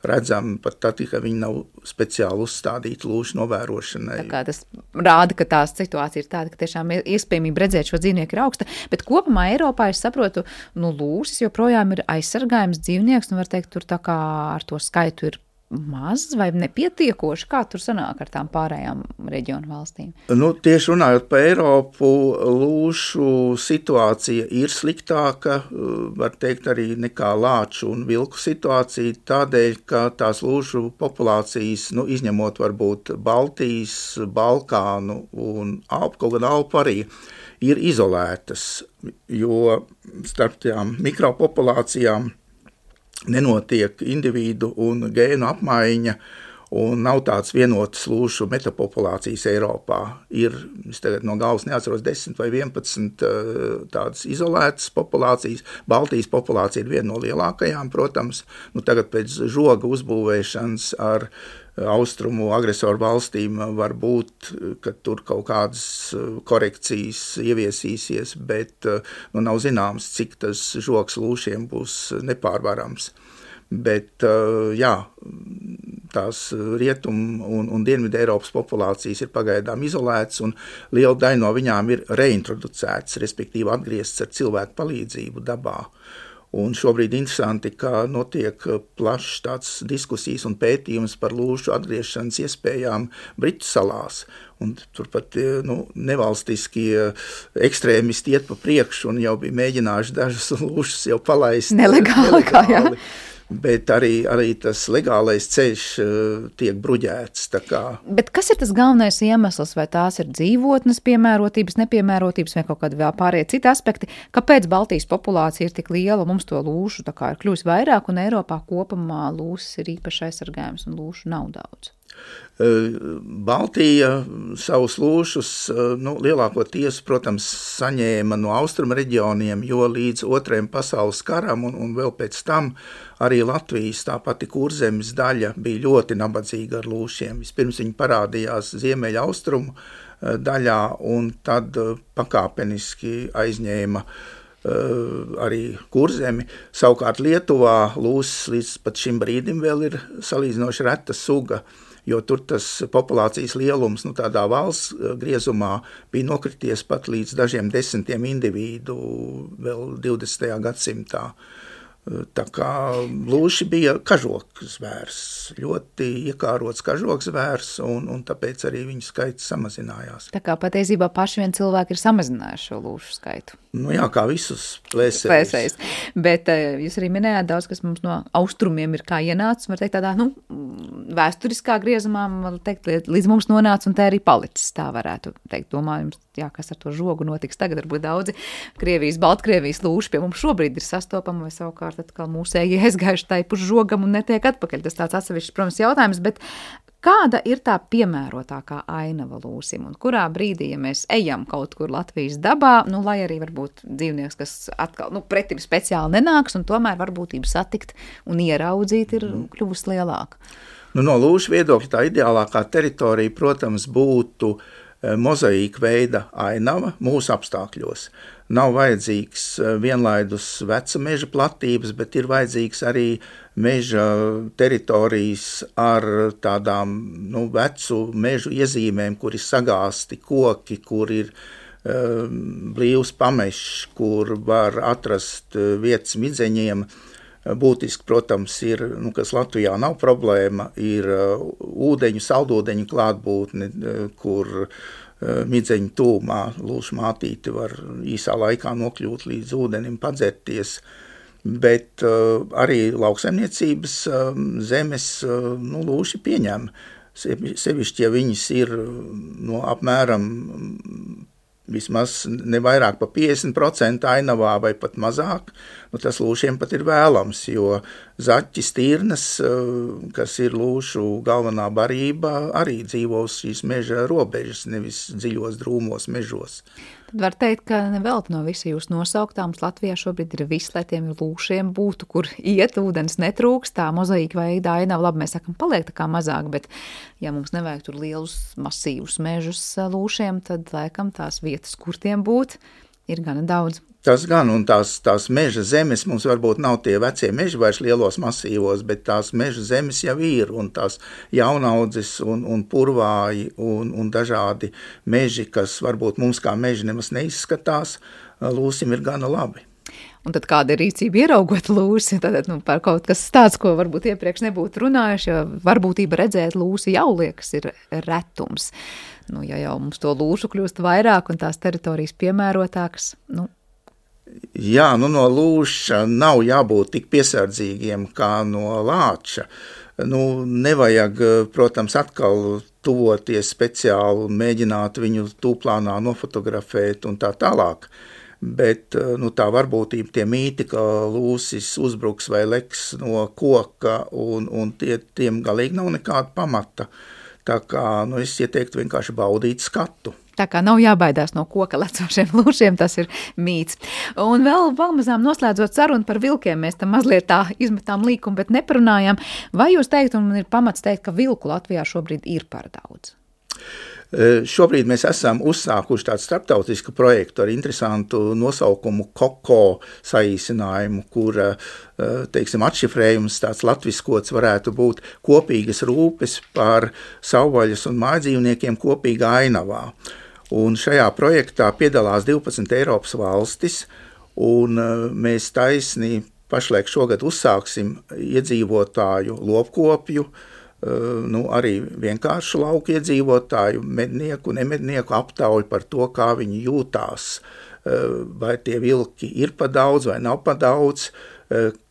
redzam, pat tad, ka viņi nav speciāli uzstādīti lūšu novērošanai. Tā kā tas rāda, ka tās situācija ir tāda, ka tiešām iespējamība redzēt šo dzīvnieku ir augsta, bet kopumā Eiropā, es saprotu, lūšas joprojām ir aizsargājums dzīvnieks, var teikt, tur tā kā ar to skaitu ir maz vai nepietiekoši? Kā tur sanāk ar tām pārējām reģionu valstīm? Tieši runājot par Eiropu, lūšu situācija ir sliktāka, var teikt arī nekā lāču un vilku situācija, tādēļ, ka tās lūšu populācijas, izņemot varbūt Baltijas, Balkānu un kaut gan Alpu arī, ir izolētas, jo starp tām mikropopulācijām nenotiek individu un gēnu apmaiņa un nav tāds vienotas lūšu metapopulācijas Eiropā. Ir, es tagad no galvas neatceros, 10 vai 11 tādas izolētas populācijas. Baltijas populācija ir viena no lielākajām, protams. Tagad pēc žoga uzbūvēšanas ar austrumu agresoru valstīm var būt, ka tur kaut kādas korekcijas ieviesīsies, bet nav zināms, cik tas žogs lūšiem būs nepārvarams. Bet, tās rietumu un dienvidu Eiropas populācijas ir pagaidām izolētas, un liela daļa no viņām ir reintroducētas, respektīvi atgrieztas ar cilvēku palīdzību dabā. Un šobrīd interesanti, ka notiek plašs tāds diskusijas un pētījums par lūšu atgriešanas iespējām Britu salās. Un turpat nevalstiskie ekstrēmisti iet pa priekšu un jau bija mēģinājuši dažas lūšas jau palaist nelegāli. Bet arī tas legālais ceļš tiek bruģēts. Bet kas ir tas galvenais iemesls, vai tās ir dzīvotnes piemērotības, nepiemērotības vai kaut kādi vēl pārējie citi aspekti, kāpēc Baltijas populācija ir tik liela, mums to lūšu tā kā ir kļūst vairāk un Eiropā kopumā lūšas ir īpaši aizsargājums un lūšu nav daudz? Baltija savus lūšus lielākoties, protams, saņēma no austrumu reģioniem, jo līdz Otrajam pasaules karam un vēl pēc tam arī Latvijas tā pati Kurzemes daļa bija ļoti nabadzīga ar lūšiem. Vispirms viņi parādījās ziemeļa austrumu daļā un tad pakāpeniski aizņēma arī Kurzemi. Savukārt Lietuvā lūsas līdz pat šim brīdim vēl ir salīdzinoši reta suga, jo tur tas populācijas lielums tādā valsts griezumā bija nokrities pat līdz dažiem desmitiem individu vēl 20. gadsimtā. Tā kā lūši bija kažokzvērs, ļoti iekārots kažokzvērs, un tāpēc arī viņu skaits samazinājās. Tā kā patiesībā paši vien cilvēki ir samazinājuši šo lūšu skaitu. Jā, kā visus plēsējus. Bet jūs arī minējāt daudz, kas mums no austrumiem ir kā ienācis, var teikt tādā, vēsturiskā griezumā, var teikt, līdz mums nonāca un te arī palicis, tā varētu teikt. Domājums, kas ar to žogu notiks tagad, varbūt daudzi Krievijas, Baltkrievijas lūši pie mums šobrīd ir sastopama, vai savukārt atkal mūsēji aizgājuši tai puš žogam un netiek atpakaļ. Tas tāds atsevišķs, protams, jautājums, bet Kāda ir tā piemērotākā ainava lūsim, un kurā brīdī, ja mēs ejam kaut kur Latvijas dabā, lai arī varbūt dzīvnieks, kas atkal, pretim speciāli nenāks, un tomēr varbūtība satikt un ieraudzīt ir kļuvusi lielāka? No lūšu viedokļa tā ideālākā teritorija, protams, būtu mozaīka veida ainava mūsu apstākļos. Nav vajadzīgs vienlaidus veca meža platības, bet ir vajadzīgs arī meža teritorijas ar tādām vecu mežu iezīmēm, kur ir sagāsti koki, kur ir blīvs pamešs, kur var atrast vietas midzeņiem. Būtiski, protams, ir, kas Latvijā nav problēma, ir ūdeņu, saldūdeņu klātbūtne, kur midzeņu tūmā lūšu mātīte var īsā laikā nokļūt līdz ūdenim, padzerties, bet arī lauksaimniecības zemes lūši pieņem. Sevišķi, ja viņas ir apmēram vismaz ne vairāk pa 50% ainavā vai pat mazāk, tas lūšiem pat ir vēlams, jo zaķis, tirnas, kas ir lūšu galvenā barība, arī dzīvo uz šīs meža robežas, nevis dziļos drūmos mežos. Tad var teikt, ka nevelti no visa jūs nosauktā mums Latvijā šobrīd ir viss, lai tiem lūšiem būtu, kur iet, ūdens netrūkst, tā mozaīka veida ainava, labi, mēs sakam, paliek tā kā mazāk, bet ja mums nevajag tur lielus masīvus mežus lūšiem, tad laikam tās vietas, kur tiem būt, ir gana daudz. Tas gan, un tās meža zemes mums varbūt nav tie vecie meži vairs lielos masīvos, bet tās meža zemes jau ir, un tās jaunaudzes un purvāji un dažādi meži, kas varbūt mums kā meži nemaz neizskatās, lūsim ir gana labi. Un tad kāda ir rīcība ieraugot lūsi, tad par kaut kas tāds, ko varbūt iepriekš nebūtu runājuši, jo varbūtība redzēt lūsi jau liekas ir retums. Ja jau mums to lūšu kļūst vairāk un tās teritorijas piemērotākas, Jā, no lūša nav jābūt tik piesardzīgiem kā no lāča. Nevajag, protams, atkal tuvoties speciāli un mēģināt viņu tūplānā nofotografēt un tā tālāk. Bet tā varbūtība, tie mīti, ka lūsis uzbruks vai leks no koka un tiem galīgi nav nekāda pamata. Tā kā es ieteiktu vienkārši baudīt skatu. Tā kā nav jābaidās no koka lecošiem lūšiem, tas ir mīts. Un vēl pamazām noslēdzot sarunu par vilkiem, mēs tam mazliet tā izmetām līkumu, bet neparunājām. Vai jūs teikt, un ir pamats teikt, ka vilku Latvijā šobrīd ir par daudz? Šobrīd mēs esam uzsākuši tādu starptautisku projektu ar interesantu nosaukumu KOKO saīsinājumu, kura, atšifrējums tāds latviskots varētu būt kopīgas rūpes par savvaļas un mājdzīvniekiem kopīgā ainavā. Un šajā projektā piedalās 12 Eiropas valstis, un mēs taisni pašlaik šogad uzsāksim iedzīvotāju lopkopju, arī vienkāršu lauku iedzīvotāju, mednieku, nemednieku aptauju par to, kā viņi jūtās, vai tie vilki ir pa daudz vai nav pa daudz,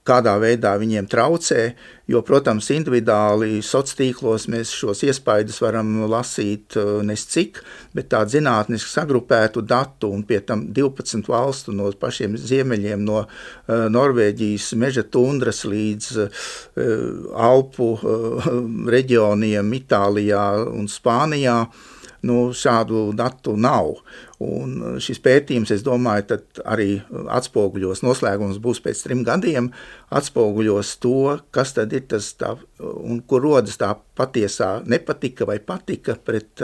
kādā veidā viņiem traucē, jo, protams, individuāli sociālos mēs šos iespaidus varam lasīt nescik, bet tādu zinātniski sagrupētu datu un pie tam 12 valstu no pašiem ziemeļiem, no Norvēģijas meža tundras līdz Alpu reģioniem Itālijā un Spānijā, šādu datu nav. Un šis pētījums, es domāju, tad arī atspoguļos, noslēgums būs pēc 3 gadiem, atspoguļos to, kas tad ir tas tā, un kur rodas tā patiesā nepatika vai patika pret,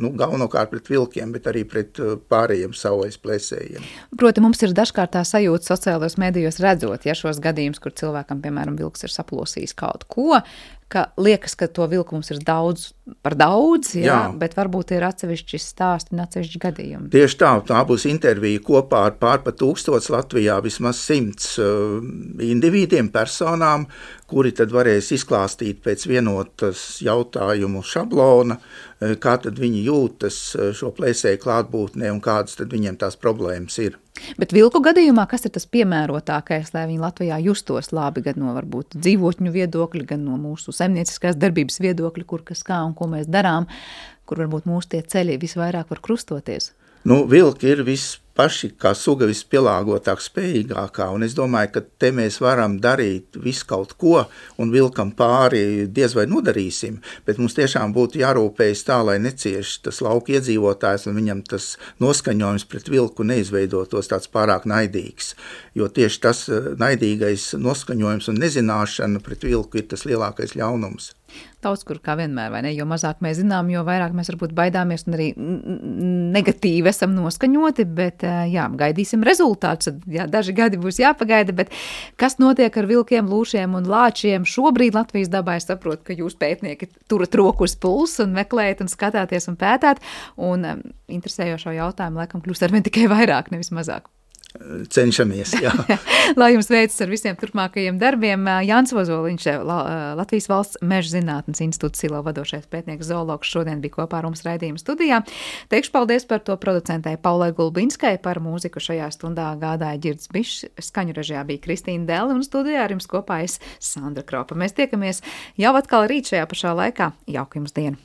galvenokārt pret vilkiem, bet arī pret pārējiem savvaļas plēsējiem. Proti, mums ir dažkārt tā sajūta sociālajos medijos redzot, ja šos gadījumus, kur cilvēkam, piemēram, vilks ir saplosījis kaut ko, ka liekas, ka to vilku mums ir daudz par daudz, jā. Bet varbūt ir atsevišķi stāsti un atsevišķi gadījumi. Tieši tā būs intervija kopā ar pār pa 1000 Latvijā, vismaz 100 individiem, personām, kuri tad varēs izklāstīt pēc vienotas jautājumu šablona, kā tad viņi jūtas šo plēsēju klātbūtnē un kādas tad viņiem tās problēmas ir. Bet vilku gadījumā, kas ir tas piemērotākais, lai viņi Latvijā justos labi, gan no varbūt dzīvotņu viedokļa, gan no mūsu saimnieciskās darbības viedokļa, kur kas kā un ko mēs darām, kur varbūt mūsu tie ceļi visvairāk var krustoties? Vilki ir paši kā suga vispielāgotāk spējīgākā, un es domāju, ka te mēs varam darīt visu kaut ko, un vilkam pāri diez vai nodarīsim, bet mums tiešām būtu jārūpējas tā, lai necieš tas lauka iedzīvotājs, un viņam tas noskaņojums pret vilku neizveidotos tāds pārāk naidīgs, jo tieši tas naidīgais noskaņojums un nezināšana pret vilku ir tas lielākais ļaunums. Daudz kur kā vienmēr, vai ne? Jo mazāk mēs zinām, jo vairāk mēs varbūt baidāmies un arī negatīvi esam noskaņoti, bet jā, gaidīsim rezultātus. Jā, daži gadi būs jāpagaida, bet kas notiek ar vilkiem, lūšiem un lāčiem šobrīd Latvijas dabā? Es saprotu, ka jūs pētnieki turat roku uz pulsu un meklējat un skatāties un pētāt, un interesējošo jautājumu laikam kļūst arvien tikai vairāk, nevis mazāk. Cenšamies, jā. Lai jums veicas ar visiem turpmākajiem darbiem. Jānis Ozoliņš, Latvijas Valsts Meža zinātnes institūta Silo vadošais pētnieks zoologs, šodien bija kopā ar mums raidījuma studijā. Teikšu paldies par to producentei Paulai Gulbinskai, par mūziku šajā stundā gādāja Ģirds Bišs, skaņu režijā bija Kristīna Dēle un studijā ar jums kopā es Sandra Kropa. Mēs tiekamies jau atkal rīt šajā pašā laikā. Jauka jums diena!